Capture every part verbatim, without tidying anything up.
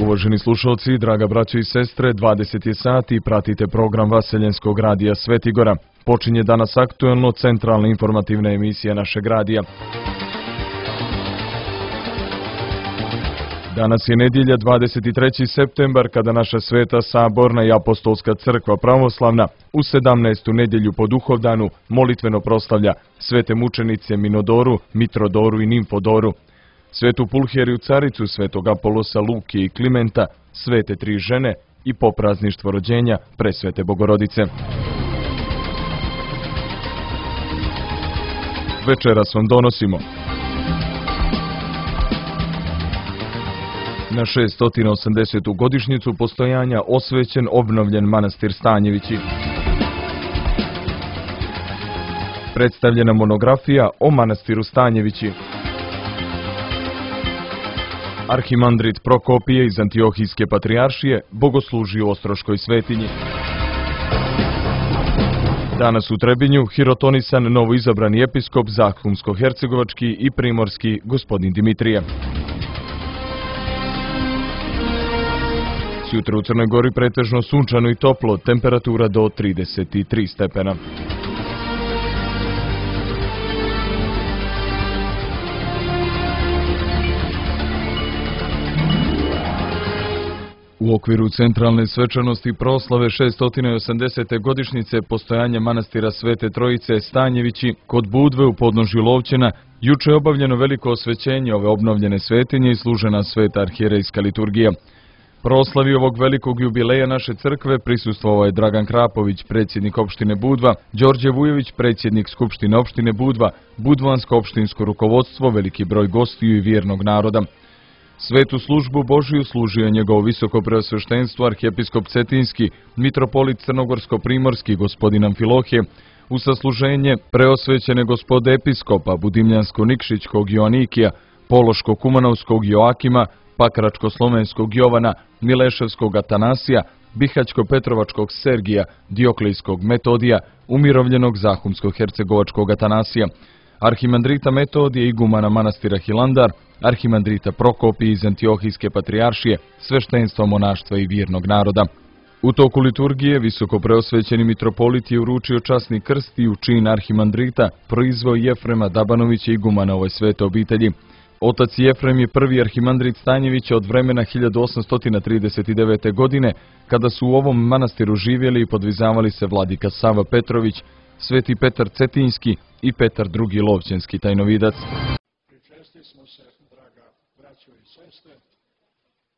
Uvaženi slušalci, draga braćo i sestre, dvadeset je sati i pratite program Vaseljenskog radija Svetigora. Počinje danas aktuelno centralna informativna emisija našeg radija. Danas je nedjelja dvadeset treći septembar kada naša Sveta Saborna i Apostolska crkva pravoslavna u sedamnaestu nedjelju po Duhovdanu molitveno proslavlja svete mučenice Minodoru, Mitrodoru i Nimfodoru, svetu Pulheriju caricu, svetog Apolosa, Luke i Klimenta, svete tri žene i po prazništvo rođenja presvete Bogorodice. Večeras vam donosimo na šeststo osamdesetu godišnjicu postojanja osvećen obnovljen manastir Stanjevići. Predstavljena monografija o manastiru Stanjevići. Arhimandrit Prokopije iz Antiohijske patrijaršije bogosluži u Ostroškoj svetinji. Danas u Trebinju hirotonisan novoizabrani episkop Zahumsko-hercegovački i primorski gospodin Dimitrije. Sutra u Crnoj Gori pretežno sunčano i toplo, temperatura do trideset tri stepena. U okviru centralne svečanosti proslave šeststo osamdesete godišnjice postojanja manastira Svete Trojice Stanjevići kod Budve u podnožju Lovćena, juče je obavljeno veliko osvećenje ove obnovljene svetinje i služena sveta arhijerejska liturgija. Proslavi ovog velikog jubileja naše crkve prisustvovao je Dragan Krapović, predsjednik opštine Budva, Đorđe Vujović, predsjednik Skupštine opštine Budva, budvansko opštinsko rukovodstvo, veliki broj gostiju i vjernog naroda. Svetu službu Božiju služio je njegovo visoko preosveštenstvo arhijepiskop Cetinski, mitropolit Crnogorsko-primorski gospodin Amfilohije, u sasluženje preosvećene gospode episkopa Budimljansko-Nikšićkog Joanikija, Pološko-Kumanovskog Joakima, Pakračko-Slovenskog Jovana, Mileševskog Atanasija, Bihać-Petrovačkog Sergija, Dioklejskog Metodija, umirovljenog Zahumsko-hercegovačkog Atanasija, arhimandrita Metodije igumana manastira Hilandar, arhimandrita Prokopije iz Antiohijske patrijaršije, sveštenstva monaštva i vjernog naroda. U toku liturgije visoko preosvećeni mitropolit je uručio časni krst i u čin arhimandrita proizveo Jefrema Dabanovića igumana ovoj svete obitelji. Otac Jefrem je prvi arhimandrit Stanjevića od vremena hiljadu osamsto trideset devete. godine, kada su u ovom manastiru živjeli i podvizavali se vladika Sava Petrović, sveti Petar Cetinski i Petar drugi Lovćenski tajnovidac. Pričesti smo se, draga braćo i sestre,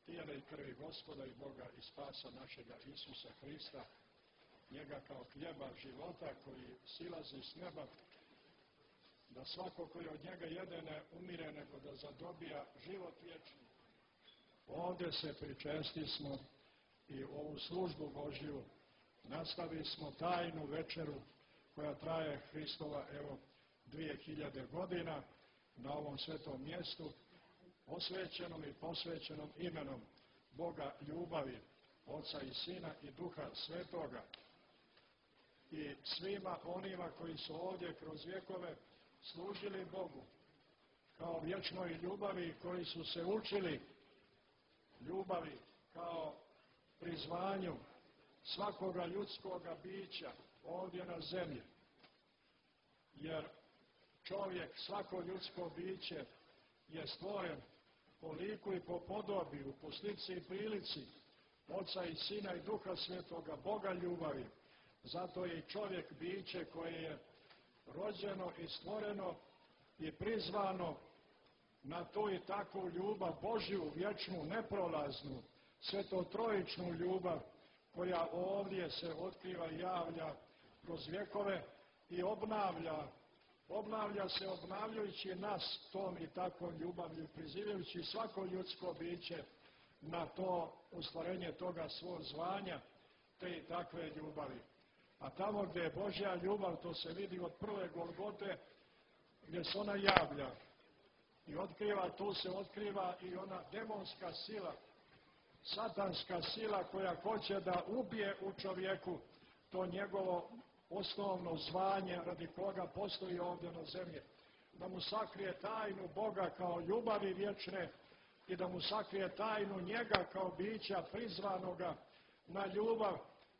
tijela i krvi Gospoda i Boga i spasa našega Isusa Hrista, njega kao hljeba života koji silazi s neba, da svako koji od njega jede ne umire, nego da zadobija život vječni. Ovdje se pričesti smo i ovu službu Božju nastavi smo tajnu večeru koja traje Hristova, evo, dvije hiljade godina na ovom svetom mjestu, osvećenom i posvećenom imenom Boga ljubavi, Oca i Sina i Duha Svetoga. I svima onima koji su ovdje kroz vjekove služili Bogu kao vječnoj ljubavi, koji su se učili ljubavi kao prizvanju svakoga ljudskoga bića ovdje na zemlji. Jer čovjek, svako ljudsko biće je stvoren po liku i po podobiju, po slici i prilici Oca i Sina i Duha Svetoga, Boga ljubavi. Zato je i čovjek biće koje je rođeno i stvoreno i prizvano na tu i takvu ljubav Božju, vječnu, neprolaznu, svetotrojičnu ljubav koja ovdje se otkriva i javlja kroz vjekove i obnavlja, obnavlja se obnavljajući nas tom i takvom ljubavlju, prizivajući svako ljudsko biće na to ostvarenje toga svog zvanja, te i takve ljubavi. A tamo gdje je Božja ljubav, to se vidi od prve Golgote, gdje se ona javlja i otkriva, tu se otkriva i ona demonska sila, satanska sila koja hoće da ubije u čovjeku to njegovo osnovno zvanje radi koga postoji ovdje na zemlji. Da mu sakrije tajnu Boga kao ljubavi vječne i da mu sakrije tajnu njega kao bića prizvanoga na ljubav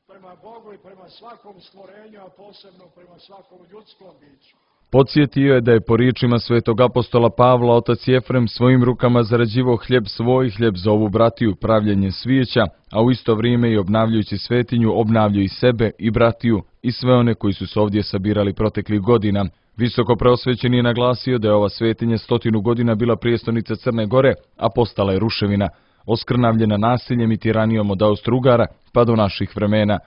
prema Bogu i prema svakom stvorenju, a posebno prema svakom ljudskom biću. Podsjetio je da je po riječima svetog apostola Pavla otac Jefrem svojim rukama zarađivao hljeb svoj, hljeb za ovu bratiju, pravljenje svijeća, a u isto vrijeme i obnavljajući svetinju obnavljao i sebe i bratiju i sve one koji su se ovdje sabirali proteklih godina. Visoko preosvećeni je naglasio da je ova svetinja stotinu godina bila prijestolnica Crne Gore, a postala je ruševina, oskrnavljena nasiljem i tiranijom od Austro-Ugara pa do naših vremena.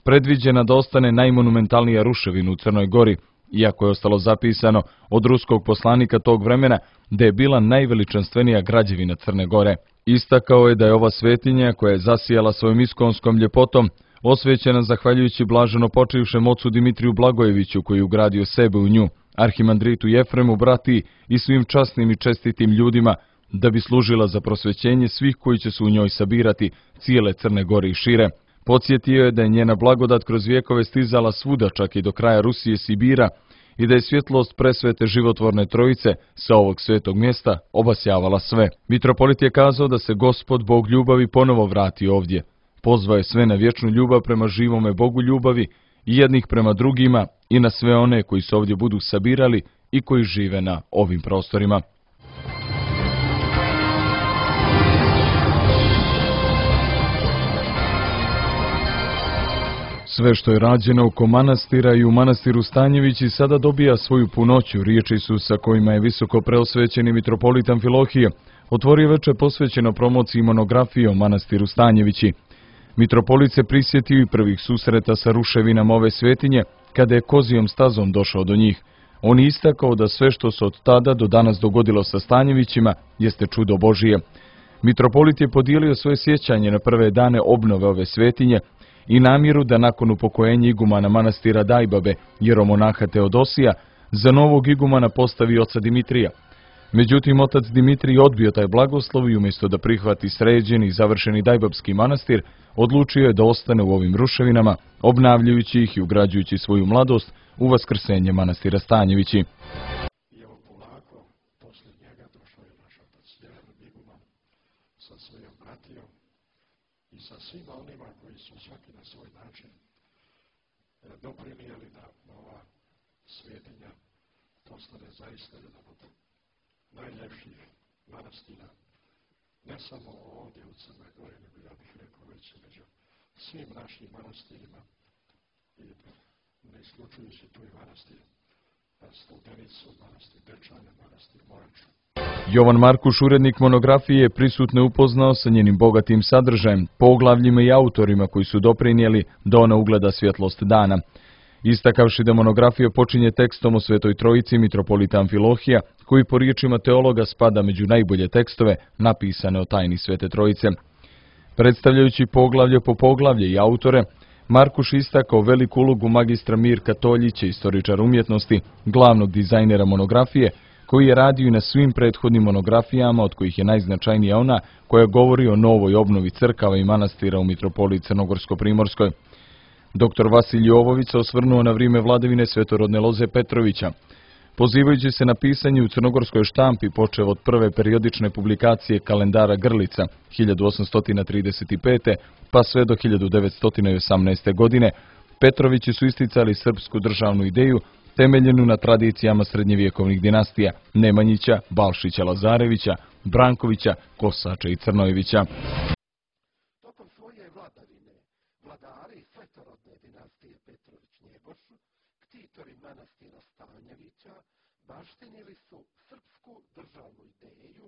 Predviđena da ostane najmonumentalnija ruševina u Crnoj Gori, iako je ostalo zapisano od ruskog poslanika tog vremena da je bila najveličanstvenija građevina Crne Gore. Istakao je da je ova svetinja, koja je zasijala svojom iskonskom ljepotom, osvećena zahvaljujući blaženo počivšem ocu Dimitriju Blagojeviću, koji je ugradio sebe u nju, arhimandritu Jefremu, bratiji i svim časnim i čestitim ljudima, da bi služila za prosvećenje svih koji će se u njoj sabirati, cijele Crne Gore i šire. Podsjetio je da je njena blagodat kroz vjekove stizala svuda, čak i do kraja Rusije, Sibira, i da je svjetlost presvete životvorne trojice sa ovog svetog mjesta obasjavala sve. Mitropolit je kazao da se Gospod, Bog ljubavi, ponovo vrati ovdje. Pozvao je sve na vječnu ljubav prema živome Bogu ljubavi i jednih prema drugima i na sve one koji se ovdje budu sabirali i koji žive na ovim prostorima. Sve što je rađeno oko manastira i u manastiru Stanjevići sada dobija svoju punoću. Riječi su sa kojima je visoko preosvećeni mitropolit Amfilohije otvorio veče posvećeno promociji monografije o manastiru Stanjevići. Mitropolit se prisjetio i prvih susreta sa ruševinama ove svetinje, kada je kozijom stazom došao do njih. On je istakao da sve što se od tada do danas dogodilo sa Stanjevićima jeste čudo Božije. Mitropolit je podijelio svoje sjećanje na prve dane obnove ove svetinje i namjeru da nakon upokojenja igumana manastira Dajbabe, jeromonaha Teodosija, za novog igumana postavi oca Dimitrija. Međutim, otac Dimitrij odbio taj blagoslov i umjesto da prihvati sređeni i završeni Dajbabski manastir, odlučio je da ostane u ovim ruševinama, obnavljajući ih i ugrađujući svoju mladost u vaskrsenje manastira Stanjevići. I evo polako, poslije njega došao je naš otac Jefrem iguman sa svojom bratijom i sa svima onima koji su svaki na svoj način doprinijeli da ova svetinja postane zaista jedan od najljepših manastira, ne samo ovdje u Crnoj Gori, nego ja bih rekao već među svim našim manastirima, i ne isključujući tu i manastir Studenicu, manastir Dečane, manastir Moraču. Jovan Markuš, urednik monografije, je prisutne upoznao sa njenim bogatim sadržajem, poglavljima i autorima koji su doprinijeli da ona ugleda svjetlost dana. Istakavši da monografija počinje tekstom o Svetoj Trojici mitropolita Amfilohija, koji po riječima teologa spada među najbolje tekstove napisane o tajni Svete Trojice. Predstavljajući poglavlje po poglavlje i autore, Markuš istakao veliku ulogu magistra Mirka Toljića, istoričara umjetnosti, glavnog dizajnera monografije, koji je radio i na svim prethodnim monografijama, od kojih je najznačajnija ona koja govori o novoj obnovi crkava i manastira u mitropoliji Crnogorsko-Primorskoj. Doktor Vasilij Jovović se osvrnuo na vrijeme vladavine svetorodne Loze Petrovića. Pozivajući se na pisanje u crnogorskoj štampi, počev od prve periodične publikacije kalendara Grlica hiljadu osamsto trideset pete pa sve do hiljadu devetsto osamnaeste. godine, Petrovići su isticali srpsku državnu ideju temeljenu na tradicijama srednjevjekovnih dinastija Nemanjića, Balšića, Lazarevića, Brankovića, Kosača i Crnojevića. Tokom svoje vladavine vladari svetorodne dinastije Petrović-Njegoš, ktitori manastira Stanjevića, baštinili su srpsku državnu ideju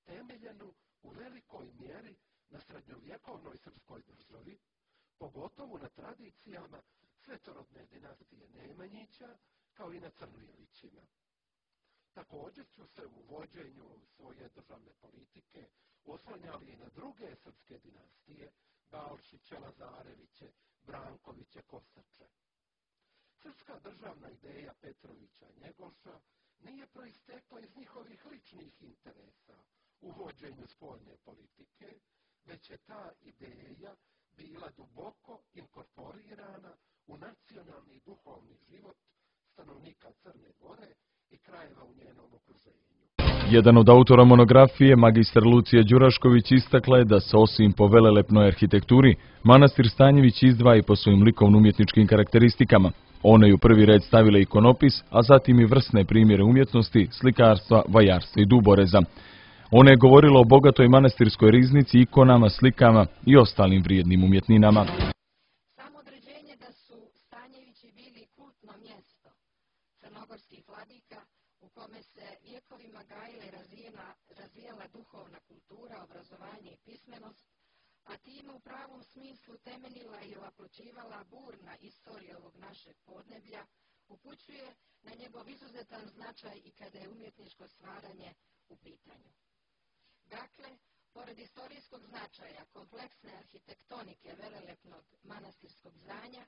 temeljenu u velikoj mjeri na srednjovjekovnoj srpskoj državi, pogotovo na tradicijama svetorodne dinastije Nemanjića, kao i na Crnojevićima. Također su se u vođenju svoje državne politike oslanjali i na druge srpske dinastije, Balšiće, Lazareviće, Brankoviće, Kosače. Srpska državna ideja Petrovića Njegoša nije proistekla iz njihovih ličnih interesa u vođenju spoljne politike, već je ta ideja bila duboko inkorporirana u nacionalni duhovni život stanovnika Crne Gore i krajeva u njenom okruženju. Jedan od autora monografije, magistar Lucija Đurašković, istakla je da se osim po velelepnoj arhitekturi, manastir Stanjević izdvaja i po svojim likovno-umjetničkim karakteristikama. Ona je u prvi red stavila ikonopis, a zatim i vrsne primjere umjetnosti, slikarstva, vajarstva i duboreza. Ona je govorila o bogatoj manastirskoj riznici, ikonama, slikama i ostalim vrijednim umjetninama. Samo određenje da su Stanjevići bili kultno mjesto crnogorskih vladika u kome se vjekovima gajila i razvijena, razvijala duhovna kultura, obrazovanje i pismenost, a time u pravom smislu temeljila i ovaploćivala burna istorija ovog našeg podneblja, upućuje na njegov izuzetan značaj i kada je umjetničko stvaranje u pitanju. Dakle, pored istorijskog značaja, kompleksne arhitektonike velelepnog manastirskog zdanja,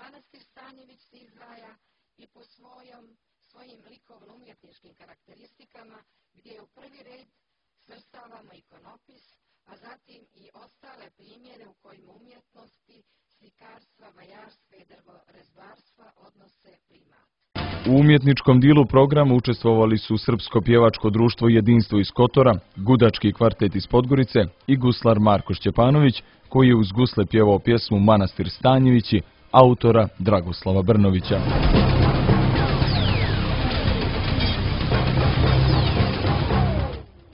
manastir Stanjević se izdvaja i po svojom, svojim likovno-umjetničkim karakteristikama, gdje u prvi red svrstavamo ikonopis, a zatim i ostale primjere u kojima umjetnosti, slikarstva, vajarstva i drvorezbarstva odnose primat. U umjetničkom dijelu programa učestvovali su Srpsko pjevačko društvo Jedinstvo iz Kotora, Gudački kvartet iz Podgorice i guslar Marko Šćepanović, koji je uz gusle pjevao pjesmu Manastir Stanjevići, autora Dragoslava Brnovića.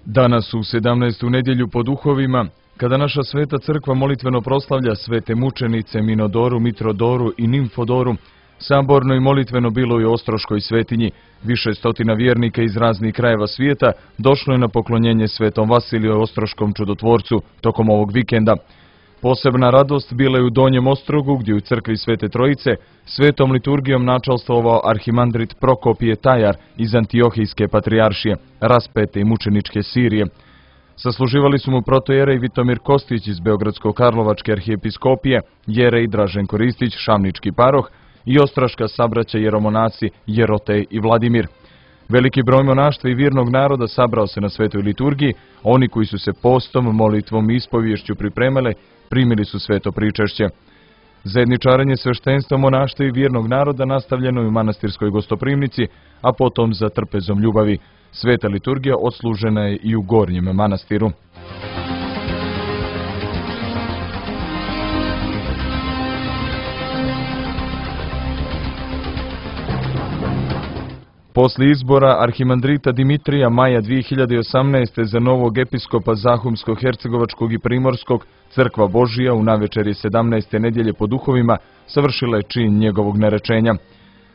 Danas u sedamnaestu nedjelju po duhovima, kada naša sveta crkva molitveno proslavlja svete mučenice Minodoru, Mitrodoru i Nimfodoru, saborno i molitveno bilo je u Ostroškoj svetinji. Više stotina vjernika iz raznih krajeva svijeta došlo je na poklonjenje svetom Vasiliju Ostroškom čudotvorcu tokom ovog vikenda. Posebna radost bila je u Donjem Ostrogu, gdje u crkvi Svete Trojice svetom liturgijom načalstvovao arhimandrit Prokopije Tajar iz Antiohijske patrijaršije, raspete i mučeničke Sirije. Sasluživali su mu protojerej Vitomir Kostić iz Beogradsko-Karlovačke arhijepiskopije, jerej Draženko Ristić, Šamnički paroh i ostroška sabraća jeromonaci Jerotej i Vladimir. Veliki broj monaštva i vjernog naroda sabrao se na svetoj liturgiji, oni koji su se postom, molitvom i ispoviješću pripremali, primili su sveto pričešće. Zajedničarenje sveštenstva monaštva i vjernog naroda nastavljeno je u manastirskoj gostoprimnici, a potom za trpezom ljubavi. Sveta liturgija odslužena je i u Gornjem manastiru. Poslije izbora arhimandrita Dimitrija maja dvije hiljade osamnaeste. za novog episkopa Zahumsko-Hercegovačkog i Primorskog, Crkva Božija u navečeri sedamnaeste nedjelje po duhovima savršila je čin njegovog narečenja.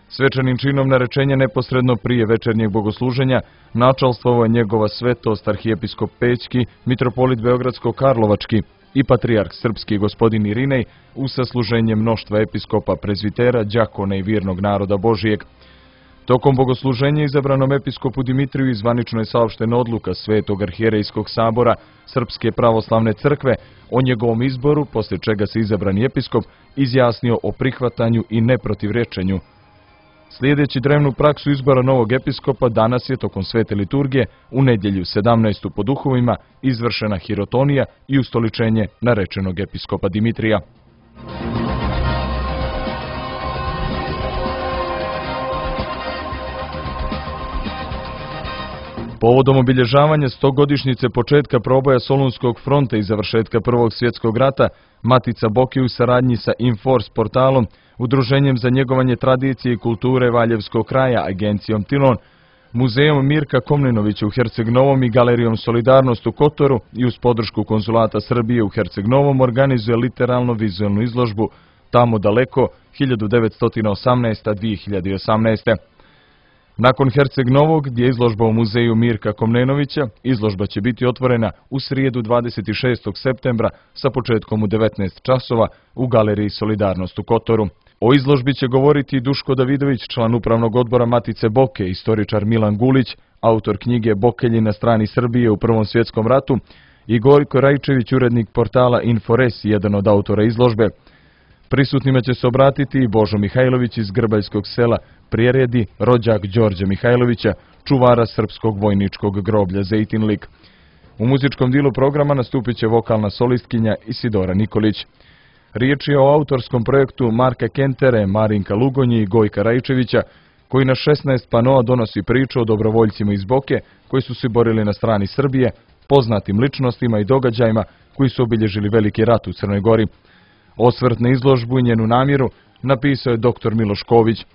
Svečanim činom narečenja neposredno prije večernjeg bogosluženja načalstvovao je njegova svetost arhijepiskop Pećki, mitropolit Beogradsko-Karlovački i patrijarh srpski gospodin Irinej u sasluženje mnoštva episkopa, prezvitera, đakona i vjernog naroda Božijeg. Tokom bogosluženja izabranom episkopu Dimitriju zvanično je saopštena odluka Svetog arhijerejskog sabora Srpske pravoslavne crkve o njegovom izboru, poslije čega se izabrani episkop izjasnio o prihvatanju i neprotivrečenju. Slijedeći drevnu praksu izbora novog episkopa, danas je tokom svete liturgije u nedjelju sedamnaestu po duhovima izvršena hirotonija i ustoličenje narečenog episkopa Dimitrija. Povodom obilježavanja stogodišnjice početka proboja Solunskog fronta i završetka Prvog svjetskog rata, Matica Boke u saradnji sa Inforce portalom, Udruženjem za njegovanje tradicije i kulture Valjevskog kraja, agencijom Tilon, Muzejom Mirka Komnenovića u Herceg Novom i Galerijom Solidarnost u Kotoru i uz podršku Konzulata Srbije u Herceg Novom organizuje literalno-vizualnu izložbu Tamo daleko hiljadu devetsto osamnaeste. do dvije hiljade osamnaeste. Nakon Herceg Novog, gdje je izložba u Muzeju Mirka Komnenovića, izložba će biti otvorena u srijedu dvadeset šestog septembra sa početkom u devetnaest časova u Galeriji Solidarnost u Kotoru. O izložbi će govoriti Duško Davidović, član upravnog odbora Matice Boke, istoričar Milan Gulić, autor knjige Bokelji na strani Srbije u Prvom svjetskom ratu, i Gojko Rajčević, urednik portala Infores, jedan od autora izložbe. Prisutnima će se obratiti i Božo Mihajlović iz Grbaljskog sela Prijeredi, rođak Đorđa Mihajlovića, čuvara srpskog vojničkog groblja Zejtinlik. U muzičkom dijelu programa nastupit će vokalna solistkinja Isidora Nikolić. Riječ je o autorskom projektu Marka Kentere, Marinka Lugonji i Gojka Rajčevića, koji na šesnaest panoa donosi priču o dobrovoljcima iz Boke koji su se borili na strani Srbije, poznatim ličnostima i događajima koji su obilježili veliki rat u Crnoj Gori. Osvrt na izložbu i njenu namjeru napisao je doktor Miloš Ković.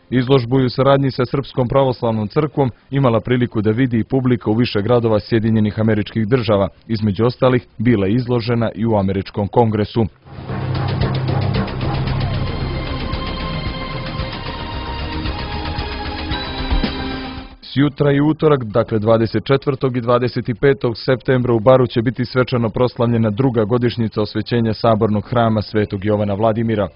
Izložbu je u saradnji sa Srpskom pravoslavnom crkvom imala priliku da vidi i publika u više gradova Sjedinjenih Američkih Država, između ostalih bila je izložena i u Američkom kongresu. Sjutra i utorak, dakle dvadeset četvrtog i dvadeset petog septembra u Baru će biti svečano proslavljena druga godišnjica osvećenja sabornog hrama Svetog Jovana Vladimira.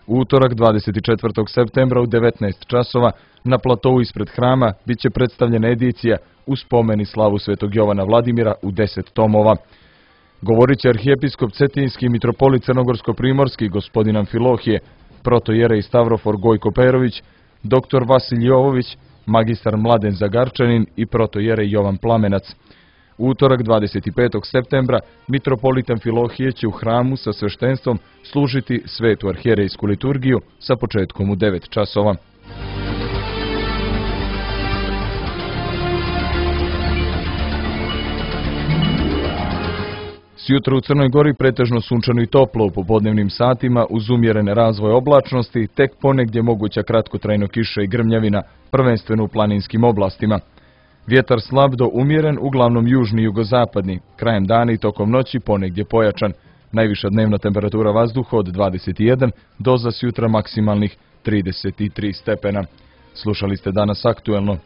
U utorak dvadeset četvrtog septembra u devetnaest časova na platovu ispred hrama bit će predstavljena edicija u spomen i slavu Svetog Jovana Vladimira u deset tomova. Govorit će arhijepiskop Cetinjski mitropolit Crnogorsko-primorski gospodin Amfilohije, protojerej Stavrofor Gojko Perović, doktor Vasilj Jovović, magistar Mladen Zagarčanin i protojerej Jovan Plamenac. U utorak dvadeset petog septembra mitropolit Amfilohije će u hramu sa sveštenstvom služiti svetu arhijerejsku liturgiju sa početkom u devet časova. Sjutra u Crnoj Gori pretežno sunčano i toplo u popodnevnim satima uz umjerene razvoje oblačnosti, tek ponegdje moguća kratkotrajno kiša i grmljavina, prvenstveno u planinskim oblastima. Vjetar slab do umjeren, uglavnom južni i jugozapadni, krajem dana i tokom noći ponegdje pojačan. Najviša dnevna temperatura vazduha od dvadeset jedan do za sjutra maksimalnih trideset tri stepena. Slušali ste danas aktuelno.